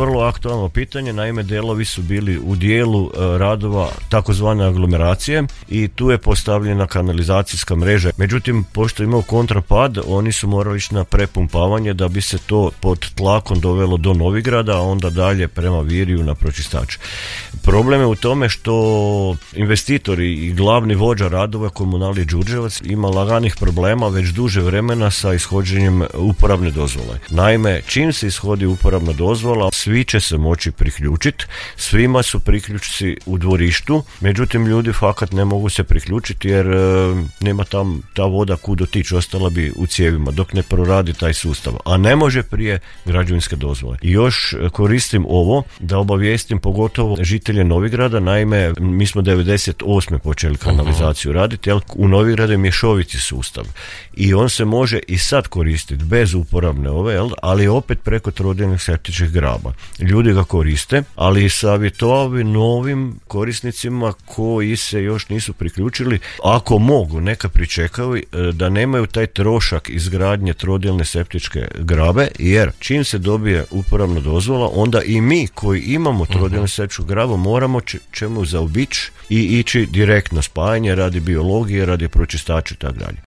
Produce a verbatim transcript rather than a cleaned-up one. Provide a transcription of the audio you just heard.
Vrlo aktualno pitanje, naime delovi su bili u dijelu e, radova takozvane aglomeracije i tu je postavljena kanalizacijska mreža. Međutim, pošto imao kontrapad, oni su morali ići na prepumpavanje da bi se to pod tlakom dovelo do Novigrada, a onda dalje prema Virju na pročistač. Problem je u tome što investitori i glavni vođa radova Komunalije Đurđevac ima laganih problema već duže vremena sa ishođenjem uporabne dozvole. Naime, čim se ishodi uporabna dozvola, svi će se moći priključiti, svima su priključci u dvorištu, međutim ljudi fakat ne mogu se priključiti jer e, nema tam ta voda kud otići, ostala bi u cijevima dok ne proradi taj sustav, a ne može prije građevinske dozvole. I još koristim ovo da obavijestim pogotovo žitelje Novigrada, naime mi smo devedeset osme počeli kanalizaciju raditi, jel, u Novigradu je mješoviti sustav i on se može i sad koristiti bez uporabne ove, jel, ali opet preko trodilnih septičkih graba. Ljudi ga koriste, ali savjetovao bi novim korisnicima koji se još nisu priključili, ako mogu, neka pričekaju da nemaju taj trošak izgradnje trodilne septičke grabe, jer čim se dobije uporabna dozvola, onda i mi koji imamo trodilnu septičku grabu moramo č- čemu zaobići i ići direktno spajanje radi biologije, radi pročistača i tako dalje.